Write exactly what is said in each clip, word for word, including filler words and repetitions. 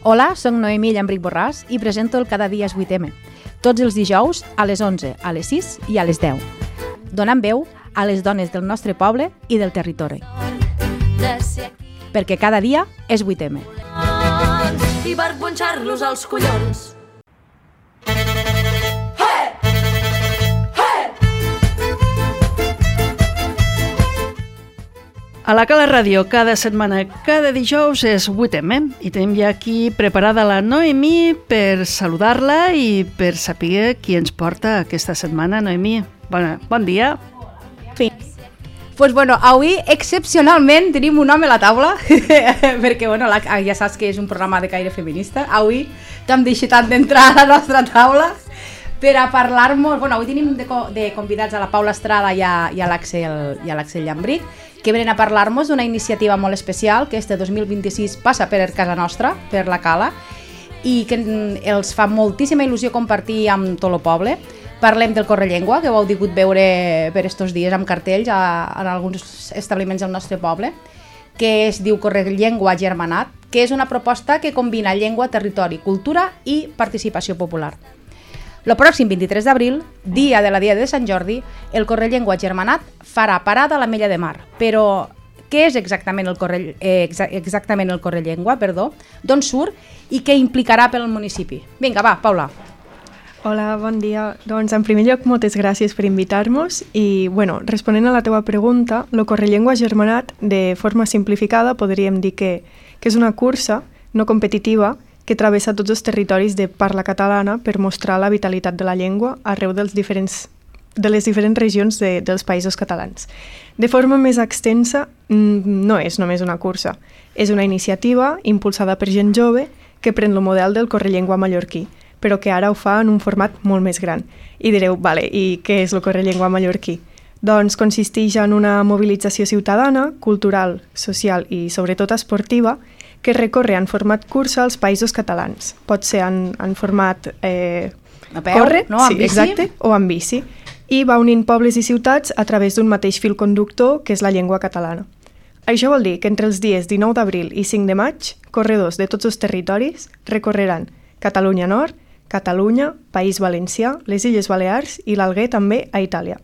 Hola, soc Noemí Llambric Borràs i presento el Cada dia és vuit eme, tots els dijous a les onze, a les sis i a les deu, donant veu a les dones del nostre poble i del territori. Perquè cada dia és vuit eme. I per punxar-los als collons. A la Cala Ràdio, cada setmana, cada dijous és vuit eme i tenim ja aquí preparada la Noemí per saludar-la i per saber qui ens porta aquesta setmana. Noemí, bon, bon dia. Sí. Pues bueno, avui excepcionalment tenim un home a la taula perquè bueno, la, ja saps que és un programa de caire feminista. Avui t'hem deixat d'entrar a la nostra taula per a parlar-nos. Bueno, avui tenim de, de convidats a la Paula Estrada i a, i a l'Àxel Llambric, que venen a parlar-nos d'una iniciativa molt especial que este dos mil vint-i-sis passa per casa nostra, per la Cala, i que els fa moltíssima il·lusió compartir amb tot el poble. Parlem del Correllengua, que ho heu pogut veure per estos dies amb cartells a, en alguns establiments del nostre poble, que es diu Correllengua Germanat, que és una proposta que combina llengua, territori, cultura i participació popular. El pròxim vint-i-tres d'abril, dia de la Dia de Sant Jordi, el Correllengua Germanat farà parada a l'Ametlla de Mar. Però què és exactament el, correll, eh, exactament el Correllengua, perdó, d'on surt i què implicarà pel municipi? Vinga, va, Paula. Hola, bon dia. Doncs, en primer lloc, moltes gràcies per invitar-nos i, bueno, responent a la teva pregunta, el Correllengua Germanat, de forma simplificada, podríem dir que, que és una cursa no competitiva que travessa tots els territoris de parla catalana per mostrar la vitalitat de la llengua arreu dels diferents, de les diferents regions de, dels països catalans. De forma més extensa, no és només una cursa, és una iniciativa impulsada per gent jove que pren el model del Correllengua mallorquí, però que ara ho fa en un format molt més gran. I direu, vale, i què és el Correllengua mallorquí? Doncs consisteix en una mobilització ciutadana, cultural, social i sobretot esportiva, que recorre en format cursa als països catalans. Pot ser en, en format eh, a peu, corre, no? En sí, bici? Exacte, o en bici. I va unint pobles i ciutats a través d'un mateix fil conductor, que és la llengua catalana. Això vol dir que entre els dies dinou d'abril i cinc de maig, corredors de tots els territoris recorreran Catalunya Nord, Catalunya, País Valencià, les Illes Balears i l'Alguer també a Itàlia.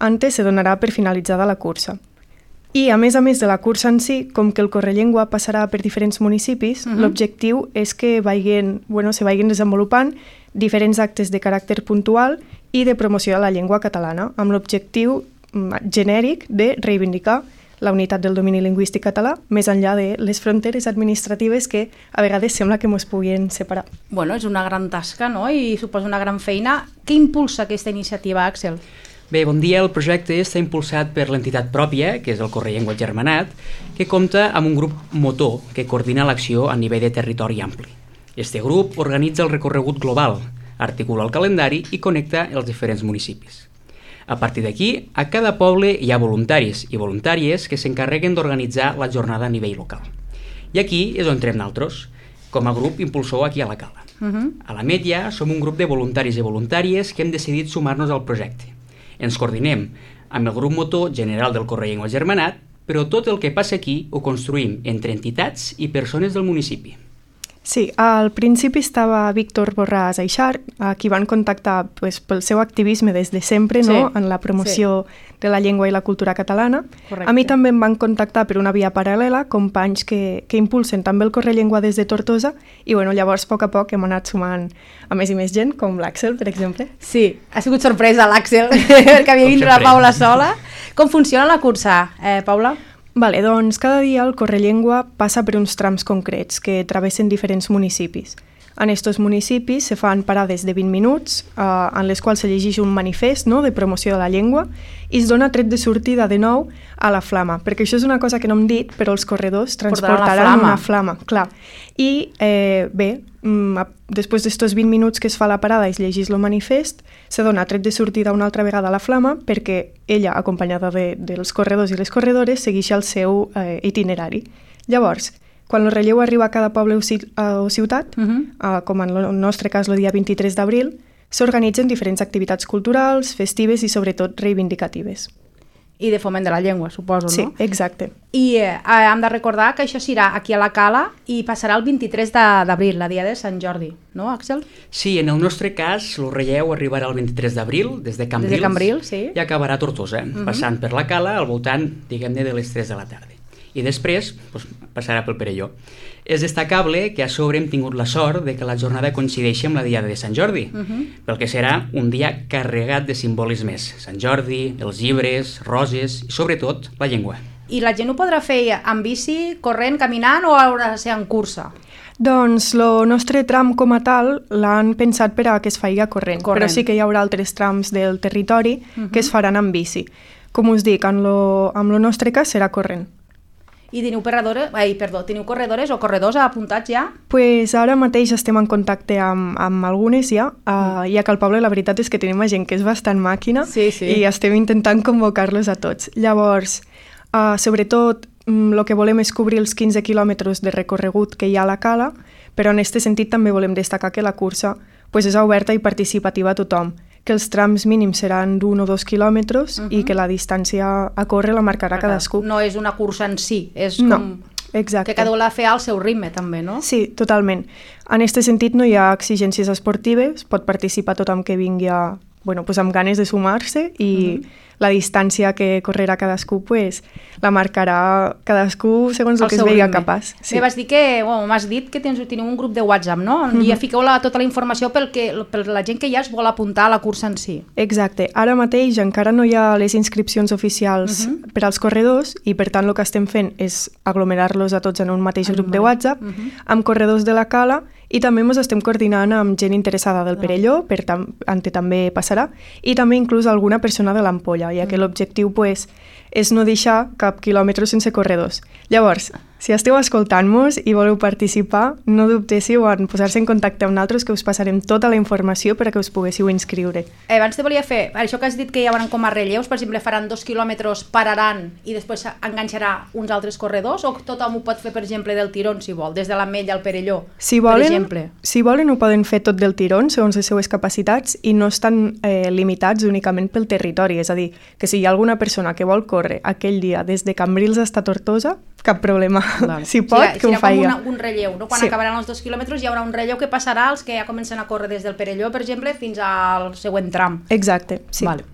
Antes se donarà per finalitzada la cursa. I, a més a més de la cursa en si, com que el Correllengua passarà per diferents municipis, uh-huh. l'objectiu és que vagin, bueno, se vagin desenvolupant diferents actes de caràcter puntual i de promoció de la llengua catalana, amb l'objectiu genèric de reivindicar la unitat del domini lingüístic català més enllà de les fronteres administratives que a vegades sembla que ens puguin separar. Bueno, és una gran tasca, no? I suposa una gran feina. Què impulsa aquesta iniciativa, Àxel? Bé, bon dia. El projecte està impulsat per l'entitat pròpia, que és el Correllengua Germanat, que compta amb un grup motor que coordina l'acció a nivell de territori ampli. Este grup organitza el recorregut global, articula el calendari i connecta els diferents municipis. A partir d'aquí, a cada poble hi ha voluntaris i voluntàries que s'encarreguen d'organitzar la jornada a nivell local. I aquí és on entrem nosaltres, com a grup impulsor aquí a la Cala. Uh-huh. A l'Ametlla som un grup de voluntaris i voluntàries que hem decidit sumar-nos al projecte. Ens coordinem amb el grup motor general del Correllengua Germanat, però tot el que passa aquí ho construïm entre entitats i persones del municipi. Sí, al principi estava Víctor Borràs Aixart, a qui van contactar pues, pel seu activisme des de sempre, no? Sí, en la promoció sí. de la llengua i la cultura catalana. Correcte. A mi també em van contactar per una via paral·lela, companys que, que impulsen també el Correllengua des de Tortosa, i bueno, llavors a poc a poc hem anat sumant a més i més gent, com l'Àxel, per exemple. Sí, ha sigut sorpresa l'Àxel, que havia vindre la Paula sola. Com funciona la cursa, eh, Paula? Vale, doncs cada dia el Correllengua passa per uns trams concrets que travessen diferents municipis. En aquests municipis se fan parades de vint minuts, eh, en les quals se llegeix un manifest, no?, de promoció de la llengua i es dona tret de sortida de nou a la flama, perquè això és una cosa que no hem dit, però els corredors transportaran flama. una flama, clar. I eh, bé, mm, després d'estos vint minuts que es fa la parada i es llegeix el manifest, se dona tret de sortida una altra vegada a la flama perquè ella, acompanyada de, dels corredors i les corredores, segueix el seu eh, itinerari. Llavors, quan el relleu arriba a cada poble o ciutat, uh-huh. eh, com en el nostre cas el dia vint-i-tres d'abril, s'organitzen diferents activitats culturals, festives i sobretot reivindicatives. I de foment de la llengua, suposo, Sí, no? exacte. I eh, hem de recordar que això serà aquí a la Cala i passarà el vint-i-tres d'abril, la dia de Sant Jordi, no, Àxel? Sí, en el nostre cas, el relleu arribarà el vint-i-tres d'abril, des de Cambrils, Des de Cambrils, sí. i acabarà a Tortosa, Uh-huh. passant per la Cala al voltant, diguem-ne, de les tres de la tarda. I després doncs, passarà pel Perelló. És destacable que a sobre hem tingut la sort de que la jornada coincideixi amb la diada de Sant Jordi, Uh-huh. pel que serà un dia carregat de simbolismes. Sant Jordi, els llibres, roses i, sobretot, la llengua. I la gent ho podrà fer en bici, corrent, caminant o haurà de ser en cursa? Doncs el nostre tram com a tal l'han pensat per a que es faci corrent, Corrent. però sí que hi haurà altres trams del territori Uh-huh. que es faran en bici. Com us dic, en lo, en el nostre cas serà corrent. I teniu corredores, ai, perdó, teniu corredores o corredors apuntats ja? Pues ara mateix estem en contacte amb, amb algunes ja, uh, ja que al poble la veritat és que tenim gent que és bastant màquina Sí, sí. i estem intentant convocar-los a tots. Llavors, uh, sobretot, el que volem és cobrir els quinze quilòmetres de recorregut que hi ha a la Cala, però en aquest sentit també volem destacar que la cursa pues, és oberta i participativa a tothom, que els trams mínims seran d'un o dos quilòmetres uh -huh. i que la distància a córrer la marcarà cadascú. No és una cursa en si, és No, com exacte. que cada un l'ha de fer al seu ritme també, no? Sí, totalment. En aquest sentit no hi ha exigències esportives, pot participar tothom que vingui a, bueno, pues amb ganes de sumar-se i uh -huh. la distància que correrà cadascú pues, la marcarà cadascú segons el Al que es seu veiga ritme. capaç. Sí. Bé, vas dir que, bueno, m'has dit que tens, teniu un grup de WhatsApp, no? On Mhm. ja fiqueu la, tota la informació pel que, per la gent que ja es vol apuntar a la cursa en si. Exacte. Ara mateix encara no hi ha les inscripcions oficials Uh -huh. per als corredors i per tant el que estem fent és aglomerar-los a tots en un mateix En grup un de mateix. WhatsApp Uh -huh. amb corredors de la Cala i també ens estem coordinant amb gent interessada del Perelló, per tam on també passarà, i també inclús alguna persona de l'Ampolla, ja que l'objectiu pues, és no deixar cap quilòmetre sense corredors. Llavors, si esteu escoltant-nos i voleu participar, no dubtéssiu en posar-se en contacte amb nosaltres, que us passarem tota la informació per a que us poguéssiu inscriure. Eh, abans te volia fer, això que has dit que hi haurà com a relleus, per exemple, faran dos quilòmetres, pararan i després enganxarà uns altres corredors, o tothom ho pot fer, per exemple, del tirón, si vol, des de l'Ametlla al Perelló, Si per volen, exemple? si volen ho poden fer tot del tirón, segons les seues capacitats, i no estan eh, limitats únicament pel territori. És a dir, que si hi ha alguna persona que vol córrer aquell dia des de Cambrils fins a Tortosa, cap problema. Vale. Si pot, Serà- que ho serà com faci. una, un relleu, no? Quan Sí. acabaran els dos quilòmetres hi haurà un relleu que passarà als que ja comencen a córrer des del Perelló, per exemple, fins al següent tram. Exacte, sí. Vale.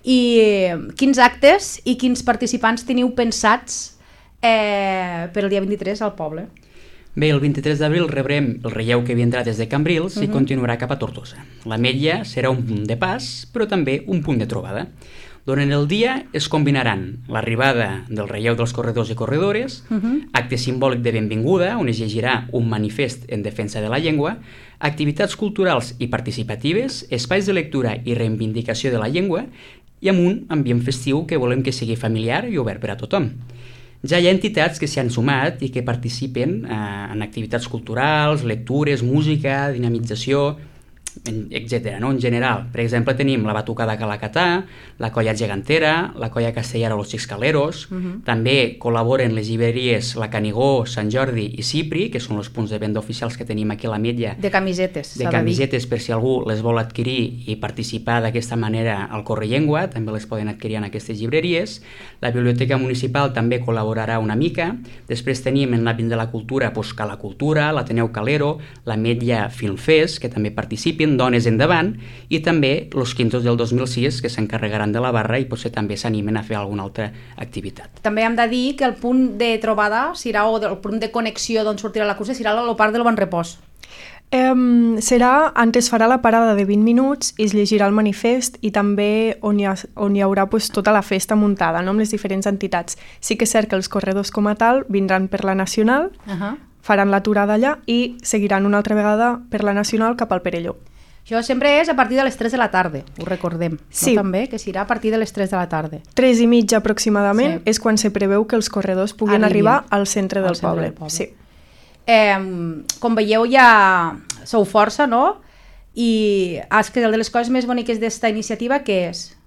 I eh, quins actes i quins participants teniu pensats eh, per el dia vint-i-tres al poble? Bé, el vint-i-tres d'abril rebrem el relleu que vindrà des de Cambrils Mhm. i continuarà cap a Tortosa. L'Ametlla serà un punt de pas, però també un punt de trobada. Durant el dia es combinaran l'arribada del relleu dels corredors i corredores, Mhm. acte simbòlic de benvinguda, on es llegirà un manifest en defensa de la llengua, activitats culturals i participatives, espais de lectura i reivindicació de la llengua, i amb un ambient festiu que volem que sigui familiar i obert per a tothom. Ja hi ha entitats que s'hi han sumat i que participen eh, en activitats culturals, lectures, música, dinamització, etcètera. No? En general, per exemple, tenim la Batucada Calacatà, la Colla Gegantera, la Colla Castellara Los Xiscaleros, uh -huh. també col·laboren les llibreries La Canigó, Sant Jordi i Cipri, que són els punts de venda oficials que tenim aquí a l'Ametlla, De camisetes, de s'ha de dir. camisetes per si algú les vol adquirir i participar d'aquesta manera al Correllengua, també les poden adquirir en aquestes llibreries. La Biblioteca Municipal també col·laborarà una mica. Després tenim en l'àmbit de la cultura doncs, Cala Cultura, l'Ateneu Calero, l'Ametlla Film Fest, que també participen, Dones Endavant, i també els quintos del dos mil sis, que s'encarregaran de la barra i potser també s'animen a fer alguna altra activitat. També hem de dir que el punt de trobada serà, o el punt de connexió d'on sortirà la cursa serà el parc del Bon Repòs. Um, serà, antes farà la parada de vint minuts i es llegirà el manifest i també on hi, ha, on hi haurà pues, tota la festa muntada, no? Amb les diferents entitats. Sí que és cert que els corredors com a tal vindran per la Nacional, Uh -huh. faran l'aturada allà i seguiran una altra vegada per la Nacional cap al Perelló. Això sempre és a partir de les tres de la tarda, ho recordem. Sí. No, també, que serà a partir de les tres de la tarda. Tres i mitja aproximadament Sí. és quan se preveu que els corredors puguin Arribin arribar al centre, al del, centre poble. del poble. Sí. Eh, com veieu, ja sou força, no? I és que una de les coses més boniques d'esta iniciativa, què és?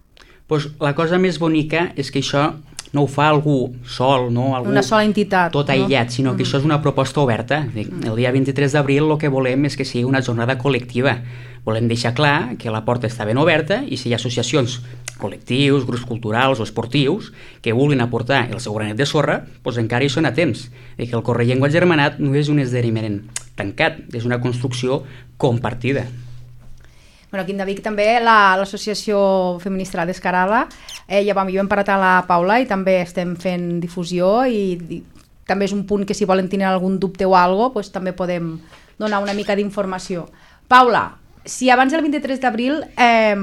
Pues la cosa més bonica és que això no ho fa algú sol, no? Algú una sola entitat. tot aïllat, no? sinó que mm. això és una proposta oberta. El dia vint-i-tres d'abril el que volem és que sigui una jornada col·lectiva. Volem deixar clar que la porta està ben oberta i si hi ha associacions, col·lectius, grups culturals o esportius que vulguin aportar el seu granet de sorra, doncs encara hi són a temps. I que el Correllengua Agermanat no és un esdeveniment tancat, és una construcció compartida. Bueno, aquí en Davic també l'associació feminista La Descarada, eh, ja vam, jo hem parat a la Paula i també estem fent difusió i, i també és un punt que si volen tenir algun dubte o alguna cosa, pues, també podem donar una mica d'informació. Paula, si abans del vint-i-tres d'abril eh,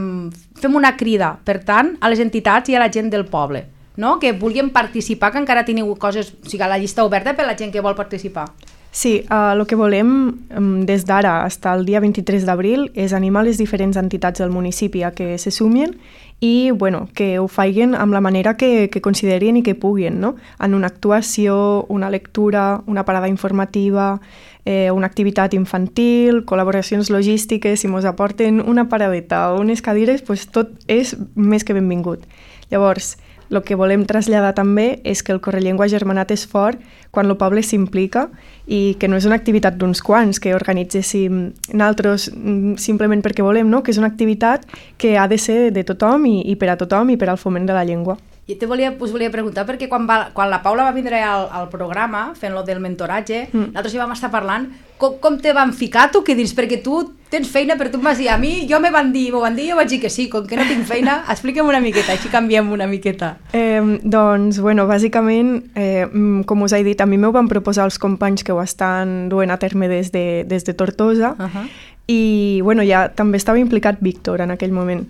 fem una crida, per tant, a les entitats i a la gent del poble, no? Que vulguin participar, que encara teniu coses, o sigui, la llista oberta per la gent que vol participar. Sí, el uh, que volem um, des d'ara fins al dia vint-i-tres d'abril és animar les diferents entitats del municipi a que se sumin i bueno, que ho facin amb la manera que, que considerin i que puguin, no? En una actuació, una lectura, una parada informativa, eh, una activitat infantil, col·laboracions logístiques, si mos aporten una paradeta o unes cadires, pues tot és més que benvingut. Llavors, el que volem traslladar també és que el Correllengua Agermanat és fort quan el poble s'implica i que no és una activitat d'uns quants que organitzéssim nosaltres simplement perquè volem, no? Que és una activitat que ha de ser de tothom i, i per a tothom i per al foment de la llengua. Jo te volia, us volia preguntar, perquè quan, va, quan la Paula va vindre al, al programa, fent-lo del mentoratge, mm. nosaltres hi vam estar parlant, com, com te van ficar tu, que dins? Perquè tu tens feina, però tu em vas dir, a mi, jo me van dir, m'ho van dir, jo vaig dir que sí, com que no tinc feina, explica'm una miqueta, així canviem una miqueta. Eh, doncs, bueno, bàsicament, eh, com us he dit, a mi m'ho van proposar els companys que ho estan duent a terme des de, des de Tortosa, uh -huh. i, bueno, ja també estava implicat Víctor en aquell moment.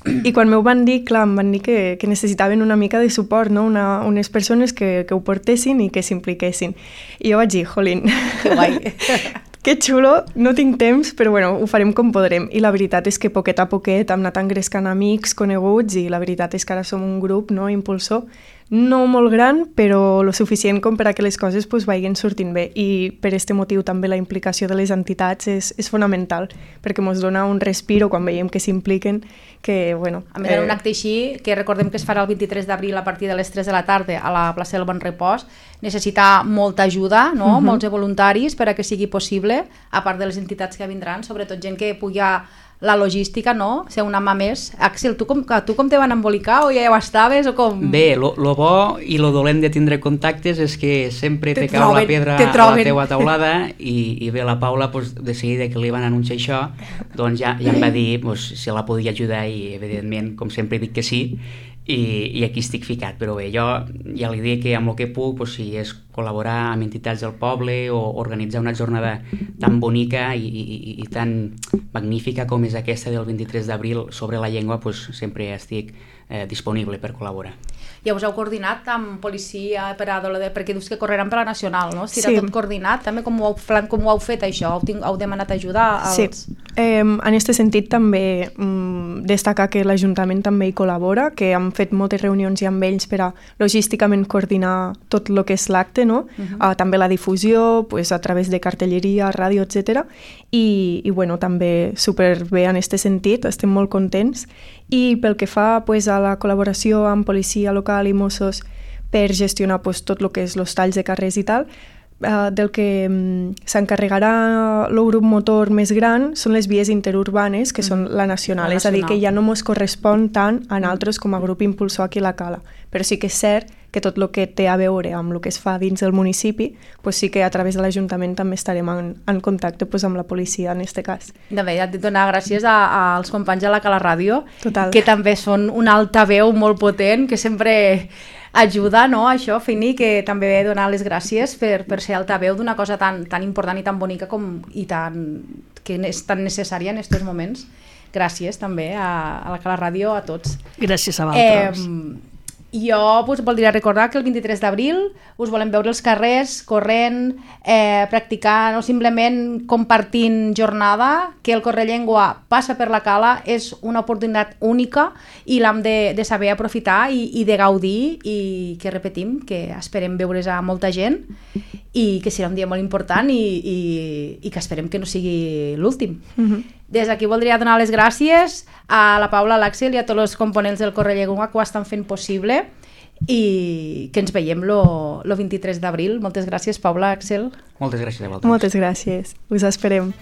I quan m'ho van dir, clar, em van dir que, que necessitaven una mica de suport, no? una, unes persones que, que ho portessin i que s'impliquessin. I jo vaig dir, jolín, que guai. Que xulo, no tinc temps, però bueno, ho farem com podrem. I la veritat és que poquet a poquet hem anat engrescant amics, coneguts, i la veritat és que ara som un grup, no, impulsor, no molt gran, però lo suficient com per a que les coses pues, vagin sortint bé. I per aquest motiu també la implicació de les entitats és, és fonamental, perquè ens dona un respiro quan veiem que s'impliquen, que, bueno... A més, eh... un acte així, que recordem que es farà el vint-i-tres d'abril a partir de les tres de la tarda a la plaça del Bon Repòs, necessita molta ajuda, no? Uh-huh. Molts voluntaris per a que sigui possible, a part de les entitats que vindran, sobretot gent que pugui la logística, no? Ser una mà més. Axel, tu com, tu com te van embolicar o ja ho estaves o com? Bé, lo, lo bo i lo dolent de tindre contactes és que sempre te, te cau la pedra a la teua taulada i, i bé, la Paula, pues, de seguida que li van anunciar això, doncs ja, ja em va dir pues, si la podia ajudar i evidentment, com sempre dic que sí, i, i aquí estic ficat, però bé, jo ja li dic que amb el que puc, pues, si és col·laborar amb entitats del poble o organitzar una jornada tan bonica i, i, i tan magnífica com és aquesta del vint-i-tres d'abril sobre la llengua, pues, sempre estic eh, disponible per col·laborar. Ja us heu coordinat amb policia per a Dolor, perquè dius que correran per la nacional, no? Si era sí. Tot coordinat, també com ho, heu, com ho heu fet això? Heu, tinc, heu demanat ajuda als... Sí, eh, en aquest sentit també mm, destacar que l'Ajuntament també hi col·labora, que hem fet moltes reunions ja amb ells per a logísticament coordinar tot el que és l'acte, no? Uh-huh. uh, també la difusió, pues, a través de cartelleria, ràdio, etcètera. I, i bueno, també superbé en aquest sentit, estem molt contents. I pel que fa pues, a la col·laboració amb policia local i Mossos per gestionar pues, tot el que és els talls de carrers i tal, eh, del que um, s'encarregarà el grup motor més gran són les vies interurbanes, que mm. són la nacional, la nacional, és a dir, que ja no ens correspon tant a nosaltres com a grup impulsor aquí a la Cala. Però sí que és cert que tot el que té a veure amb el que es fa dins del municipi, pues sí que a través de l'Ajuntament també estarem en, en contacte pues, amb la policia en aquest cas. De bé, ja et donar gràcies a, als companys de la Cala Ràdio, Total. Que també són un altaveu molt potent, que sempre ajuda, no, a això, Fini, que també he de donar les gràcies per, per ser altaveu d'una cosa tan, tan important i tan bonica com, i tan, que és tan necessària en aquests moments. Gràcies també a, a la Cala Ràdio, a tots. Gràcies a vosaltres. Eh, Jo us voldria recordar que el vint-i-tres d'abril us volem veure als carrers, corrent, eh, practicant o simplement compartint jornada, que el Correllengua passa per la Cala, és una oportunitat única i l'hem de, de saber aprofitar i, i de gaudir, i que repetim, que esperem veure's a molta gent i que serà un dia molt important i, i, i que esperem que no sigui l'últim. Mm-hmm. Des d'aquí voldria donar les gràcies a la Paula, a l'Àxel i a tots els components del Correllengua que ho estan fent possible. i que ens veiem lo, lo vint-i-tres d'abril. Moltes gràcies, Paula, Axel. Moltes gràcies a vosaltres. Moltes gràcies. Us esperem.